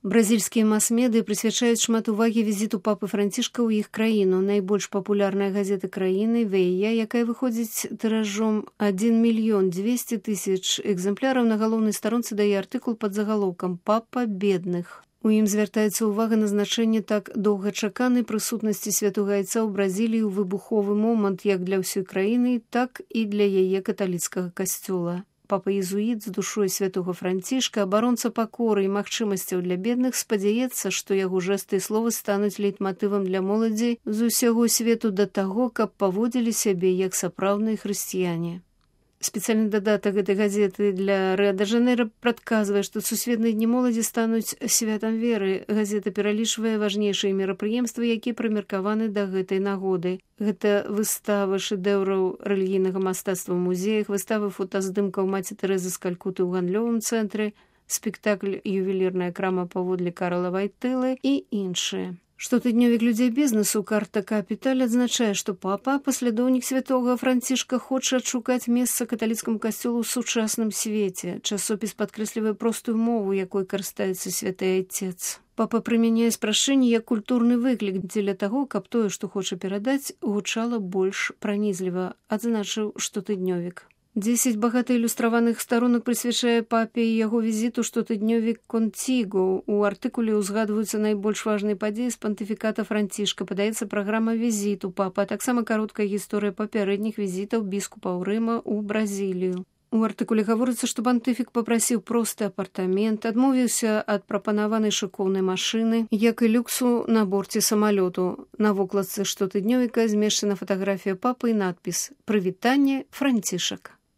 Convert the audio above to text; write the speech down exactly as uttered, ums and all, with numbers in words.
Бразільскія мас-медыа прысвячаюць шмат увагі візіту папы Францішка ў іх краіну. Найбольш папулярная газета краіны «Вея», якая выходзіць тыражом адзін мільён дзвесце тысяч экземпляраў, на галоўнай старонцы дае артыкул пад загалоўкам «Папа бедных». У ім звяртаецца ўвага на значэнне так доўгачаканай прысутнасці святога айца ў Бразіліі ў выбуховы момант як для ўсёй краіны, так і для яе каталіцкага касцёла. Папа-езуіт з душой святога Францішка, абаронца пакоры і магчымасцяў для бедных, спадзяецца, што яго жэсты і словы стануць лейтматывам для моладзі з усяго свету да таго, каб паводзілі сябе як сапраўдныя хрысціяне. Спецыяльны дадатак гэтай газеты для Рыа-де-Жанейра прадказвае, што сусветныя дні моладзі стануць святам веры. Газета пералічвае важнейшыя мерапрыемствы, якія прымеркаваны да гэтай нагоды. Гэта выставы шэдэўраў рэлігійнага мастацтва ў музеях, выставы фотаздымкаў маці Тэрэзы з Калькуты ў гандлёвым цэнтры, спектакль «Ювелірная крама паводле Карла Вайтылы» і іншыя. Штотыднёвік людзей бізнесу «Карта Капіталь» адзначае, што папа, паслядоўнік святога Францішка, хоча адшукаць месца каталіцкаму касцёлу ў сучасным свеце. Часопіс падкрэслівае простую мову, якой карыстаецца святы айцец. Папа прымяняе спрашчэнне як культурны выклік дзеля таго, каб тое, што хоча перадаць, гучала больш пранізліва, адзначыў штотыднёвік. Дзесяць багата ілюстраваных старонак прысвячае папе і яго візіту штотыднёвік «Контіго». У артыкуле ўзгадваюцца найбольш важныя падзеі з пантыфіката Францішка, падаецца праграма візіту папа, а таксама кароткая гісторыя папярэдніх візітаў біскупаў Рыма ў Бразілію. У артыкуле гаворыцца, што пантыфік папрасіў просты апартамент, адмовіўся ад прапанаванай шыкоўнай машыны, як і люксу на борце самалёту. На вокладцы штотыднёвіка змешчана фатаграфія папы і надпіс «Прывітанне, Францішак».